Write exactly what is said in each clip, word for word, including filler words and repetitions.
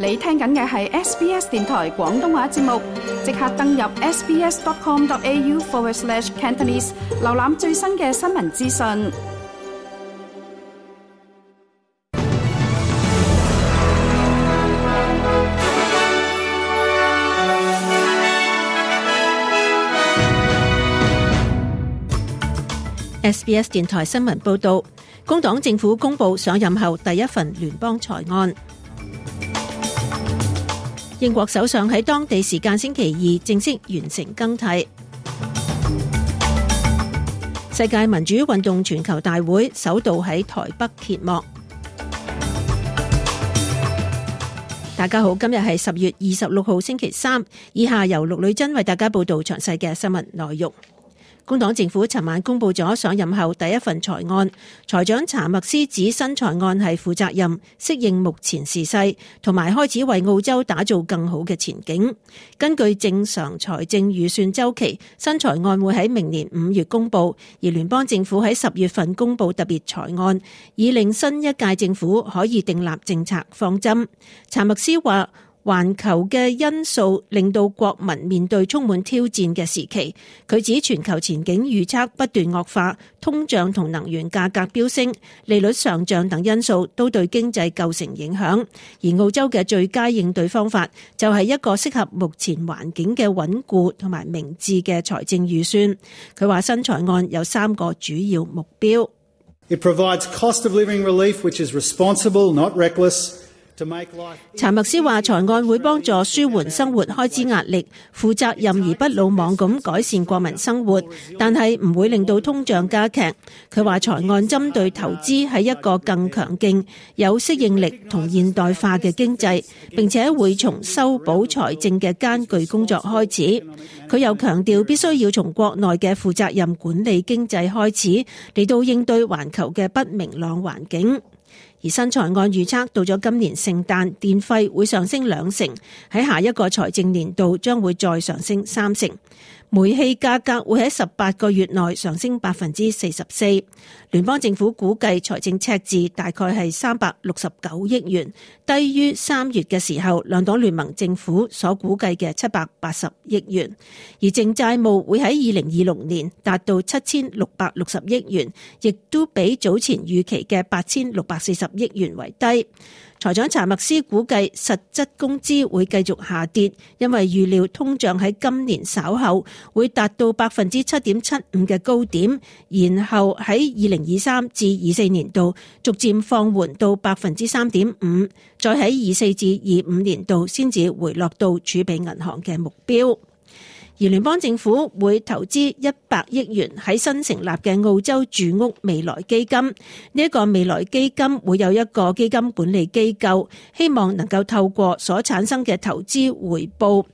你聽緊嘅係 S B S 電台廣東話節目，即刻登入 sbs.com.au forward slash Cantonese， 瀏覽最新嘅新聞資訊。S B S 電台新聞報道，工黨政府公布上任後第一份聯邦財案。英國首相喺當地時間星期二正式完成更替。世界民主運動全球大會首度喺台北揭幕。大家好，今日係十月二十六號星期三，以下由陸女珍為大家報道詳細嘅新聞內容。工黨政府尋晚公布咗上任後第一份財案，財長查默斯指新財案係負責任、適應目前時勢，同埋開始為澳洲打造更好嘅前景。根據正常財政預算週期，新財案會喺明年五月公布，而聯邦政府喺十月份公布特別財案，以令新一屆政府可以訂立政策方針。查默斯話，環球嘅因素令到國民面對充滿挑戰嘅時期。佢指全球前景預測不斷惡化，通脹同能源價格飆升、利率上漲等因素都對經濟構成影響。而澳洲嘅最佳應對方法就係一個適合目前環境嘅穩固同埋明智嘅財政預算。佢話新財案有三個主要目標。It provides cost of living relief, which is responsible, not reckless.查默斯話，財案會幫助舒緩生活開支壓力，負責任而不魯莽咁改善國民生活，但係唔會令到通脹加劇。佢話財案針對投資喺一個更強勁、有適應力同現代化嘅經濟，並且會從修補財政嘅艱巨工作開始。佢又強調必須要從國內嘅負責任管理經濟開始，嚟到應對環球嘅不明朗環境。而新財案預測到咗今年聖誕，電費會上升兩成，喺下一個財政年度將會再上升三成。煤氣價格會喺十八個月內上升百分之四十四。聯邦政府估計財政赤字大概係三百六十九億元，低於三月嘅時候兩黨聯盟政府所估計嘅七百八十億元。而淨債務會喺二零二六年達到七千六百六十億元，亦都比早前預期嘅八千六百四十億元為低。財長查默斯估計實質工資會繼續下跌，因為預料通脹喺今年稍後會達到百分之七點七五嘅高點，然後喺二零二三至二四年度逐漸放緩到百分之三點五，再喺二四至二五年度先至回落到儲備銀行嘅目標。而聯邦政府會投資一百億元喺新成立嘅澳洲住屋未來基金。呢一個未來基金會有一個基金管理機構，希望能夠透過所產生嘅投資回報，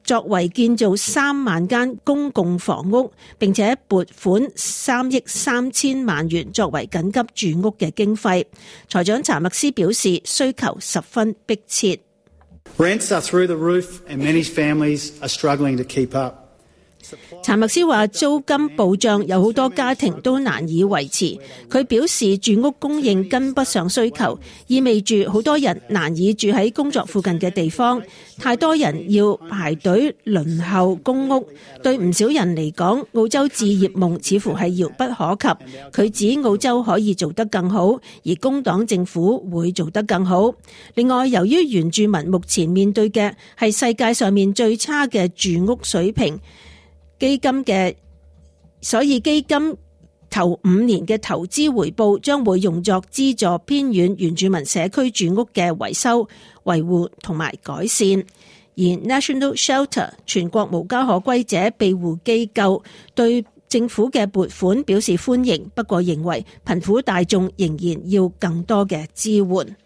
作為建造三萬間公共房屋，並且撥款三億三千萬元作為緊急住屋嘅經費。財長查默斯表示，需求十分迫切。Rents are through the roof, and many families are struggling to keep up. 查默斯話租金暴漲，有好多家庭都難以維持。佢表示住屋供應跟不上需求，意味住好多人難以住喺工作附近嘅地方，太多人要排隊輪候公屋。對唔少人嚟講，澳洲置業夢似乎係遙不可及。佢指澳洲可以做得更好，而工黨政府會做得更好。另外，由於原住民目前面對嘅係世界上面最差嘅住屋水平，基金嘅，所以基金頭五年嘅投資回報將會用作資助偏遠原住民社區住屋嘅維修、維護同埋改善。而 National Shelter 全國無家可歸者庇護機構對政府嘅撥款表示歡迎，不過認為貧苦大眾仍然要更多嘅支援。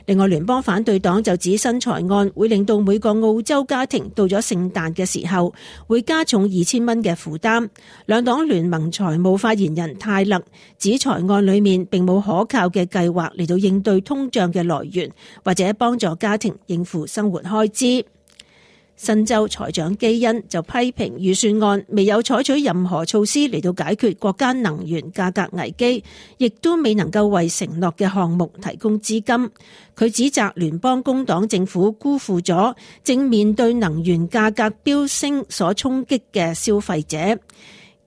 另外，聯邦反對黨就指新財案會令到每個澳洲家庭到咗聖誕嘅時候會加重二千蚊嘅負擔。兩黨聯盟財務發言人泰勒指財案裏面並冇可靠嘅計劃嚟到應對通脹嘅來源，或者幫助家庭應付生活開支。新州財長基恩就批評預算案未有採取任何措施嚟到解決國家能源價格危機，亦都未能夠為承諾嘅項目提供資金。佢指責聯邦工黨政府辜負咗正面對能源價格飆升所衝擊嘅消費者。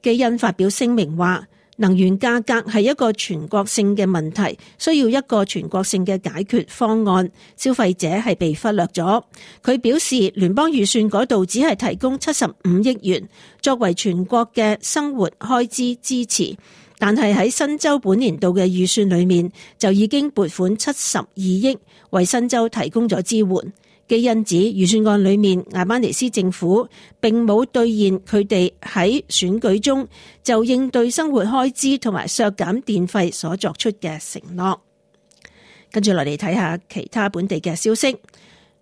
基恩發表聲明話，能源價格係一個全國性嘅問題，需要一個全國性嘅解決方案。消費者係被忽略咗。佢表示，聯邦預算嗰度只係提供七十五億元作為全國嘅生活開支支持，但係喺新州本年度嘅預算裏面就已經撥款七十二億為新州提供咗支援。基恩指預算案裏面，艾班尼斯政府並冇兌現佢哋喺選舉中就應對生活開支同埋削減電費所作出嘅承諾。跟住落嚟睇下其他本地嘅消息。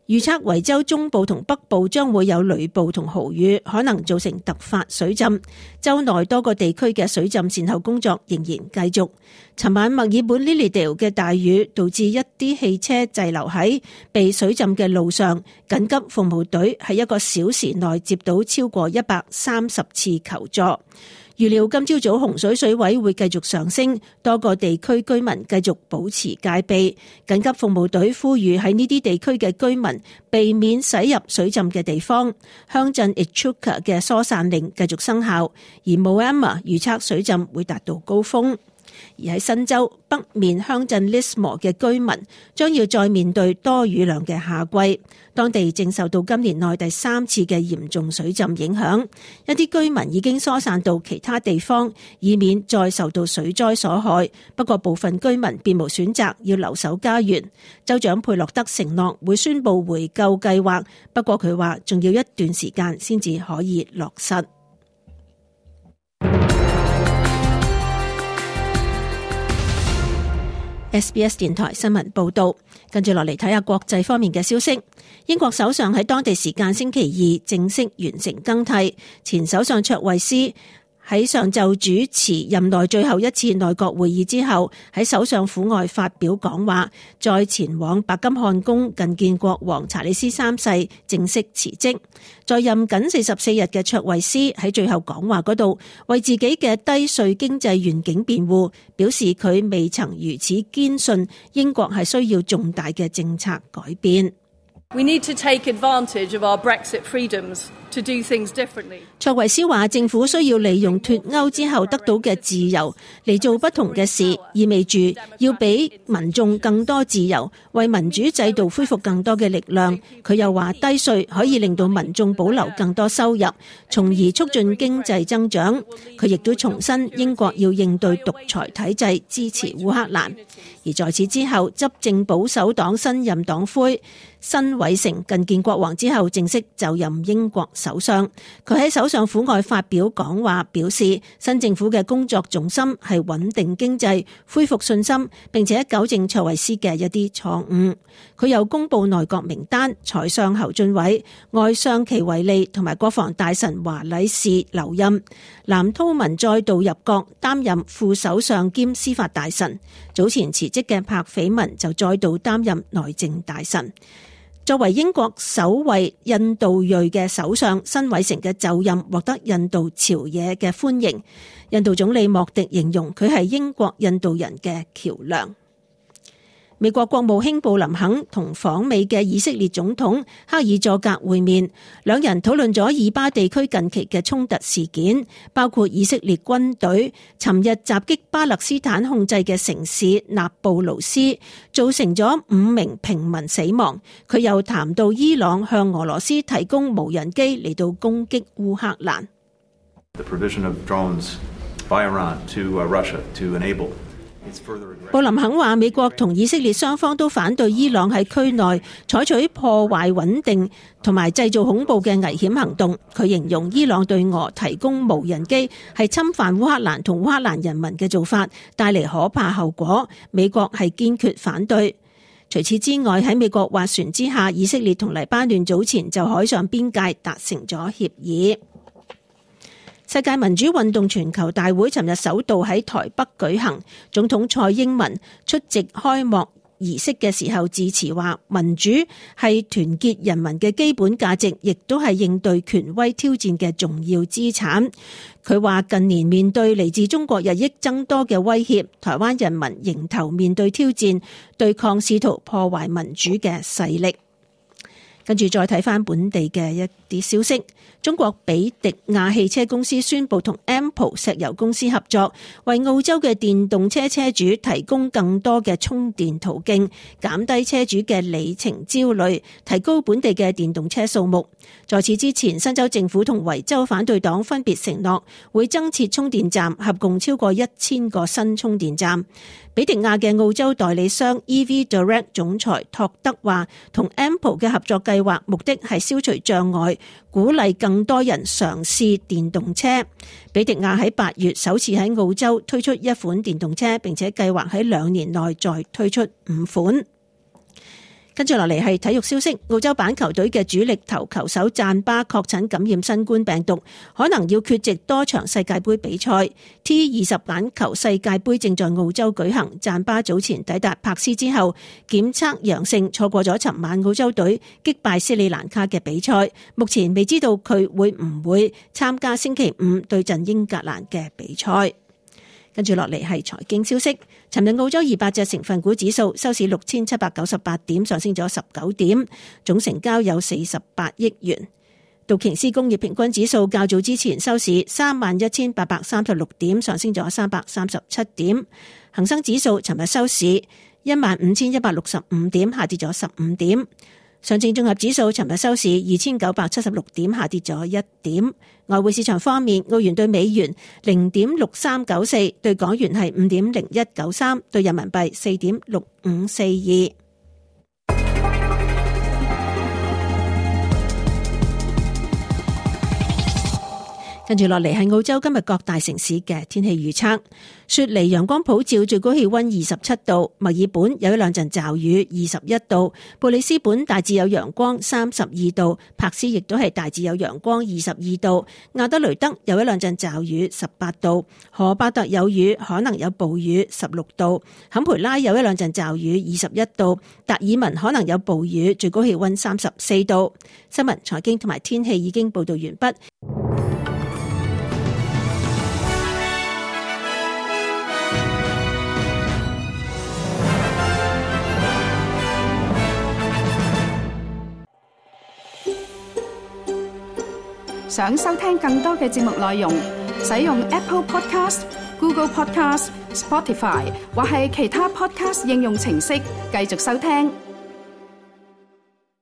預測維州中部同北部將會有雷暴同豪雨，可能造成突發水浸。州內多個地區嘅水浸善後工作仍然繼續。尋晚墨爾本 Lilydale 嘅大雨導致一啲汽車滯留喺被水浸嘅路上，緊急服務隊喺一個小時內接到超過一百三十次求助。預料今朝早洪水水位會繼續上升，多個地區居民繼續保持戒備。緊急服務隊呼籲喺呢啲地區嘅居民避免駛入水浸嘅地方。鄉鎮 Echuca 嘅疏散令繼續生效，而 Moama 預測水浸會達到高峰。而喺新州北面鄉鎮 Lismore 嘅居民將要再面對多雨量嘅夏季，當地正受到今年內第三次嘅嚴重水浸影響，一啲居民已經疏散到其他地方，以免再受到水災所害。不過部分居民別無選擇，要留守家園。州長佩洛德承諾會宣布回購計劃，不過佢話仲要一段時間先至可以落實。S B S 電台新聞報道，跟住落嚟睇下國際方面嘅消息。英國首相喺當地時間星期二正式完成更替，前首相卓慧思喺上晝主持任內最後一次內閣會議之後，喺首相府外發表講話，再前往白金漢宮覲見國王查理斯三世，正式辭職。在任僅四十四日嘅卓慧思喺最後講話嗰度，為自己嘅低稅經濟願景辯護，表示佢未曾如此堅信英國係需要重大嘅政策改變。We need to take advantage of our Brexit freedoms to do things differently. 卓慧思話，政府需要利用脫歐之後得到嘅自由嚟做不同嘅事，意味住要俾民眾更多自由，為民主制度恢復更多嘅力量。佢又話，低稅可以令到民眾保留更多收入，從而促進經濟增長。佢亦都重申英國要應對獨裁體制，支持烏克蘭。而在此之後，執政保守黨新任黨魁辛偉誠覲見國王之後，正式就任英國首相。佢喺首相府外發表講話，表示新政府嘅工作重心係穩定經濟、恢復信心，並且糾正卓慧思嘅一啲錯誤。佢又公布內閣名單，財相侯俊偉、外相祁維利同埋國防大臣華禮士留任。藍韜文再度入閣擔任副首相兼司法大臣。早前辭職嘅柏斐文就再度擔任內政大臣。作為英國首位印度裔嘅首相，辛偉誠嘅就任獲得印度朝野嘅歡迎。印度總理莫迪形容佢係英國印度人嘅橋梁。美國國務卿布林肯同訪美嘅以色列總統克爾佐格會面，兩人討論咗以巴地區近期嘅衝突事件，包括以色列軍隊尋日襲擊巴勒斯坦控制嘅城市納布魯斯，造成咗五名平民死亡。佢又談到伊朗向俄羅斯提供無人機嚟到攻擊烏克蘭。The provision of drones by Iran to Russia to enable布林肯話，美國同以色列雙方都反對伊朗喺區內採取破壞穩定同埋製造恐怖嘅危險行動。佢形容伊朗對俄提供無人機係侵犯烏克蘭同烏克蘭人民嘅做法，帶嚟可怕後果。美國係堅決反對。除此之外，喺美國斡旋之下，以色列同黎巴嫩早前就海上邊界達成咗協議。世界民主運動全球大會尋日首度喺台北舉行，總統蔡英文出席開幕儀式嘅時候致辭話，民主係團結人民嘅基本價值，亦都係應對權威挑戰嘅重要資產。佢話近年面對嚟自中國日益增多嘅威脅，台灣人民迎頭面對挑戰，對抗試圖破壞民主嘅勢力。跟住再睇翻本地嘅一啲消息，中國比迪亞汽車公司宣布同 Ampol 石油公司合作，為澳洲嘅電動車車主提供更多嘅充電途徑，減低車主嘅里程焦慮，提高本地嘅電動車數目。在此之前，新州政府同維州反對黨分別承諾會增設充電站，合共超過一千個新充電站。比迪亞嘅澳洲代理商 E V Direct 總裁托德話，同 Ampol 嘅合作計劃目的係消除障礙，鼓勵更多人嘗試電動車。比迪亞喺八月首次喺澳洲推出一款電動車，並且計劃喺兩年內再推出五款。跟住落嚟係體育消息，澳洲板球隊嘅主力頭球手贊巴確診感染新冠病毒，可能要缺席多場世界盃比賽。T 二十板球世界盃正在澳洲舉行，贊巴早前抵達柏斯之後檢測陽性，錯過咗尋晚澳洲隊擊敗斯里蘭卡嘅比賽，目前未知道佢會唔會參加星期五對陣英格蘭嘅比賽。跟住落嚟係財經消息。尋日澳洲二百隻成分股指數收市六千七百九十八點，上升咗十九點，總成交有四十八億元。道瓊斯工業平均指數較早之前收市三萬一千八百三十六點，上升咗三百三十七點。恒生指數尋日收市一萬五千一百六十五點，下跌咗十五點。上證綜合指數尋日收市二千九百七十六點，下跌咗一點。外匯市場方面，澳元對美元零點六三九四，對港元係五點零一九三，對人民幣四點六五四二。跟住落嚟係澳洲今日各大城市嘅天氣預測。雪梨陽光普照，最高氣溫二十七度；墨爾本有一兩陣驟雨，二十一度；布里斯本大致有陽光，三十二度；柏斯亦都係大致有陽光，二十二度；亞德雷德有一兩陣驟雨，十八度；荷巴特有雨，可能有暴雨，十六度；坎培拉有一兩陣驟雨，二十一度；達爾文可能有暴雨，最高氣溫三十四度。新聞、財經同埋天氣已經報道完畢。想收聽更多嘅節目內容，使用 Apple Podcast、Google Podcast、Spotify 或係其他 Podcast 應用程式繼續收聽。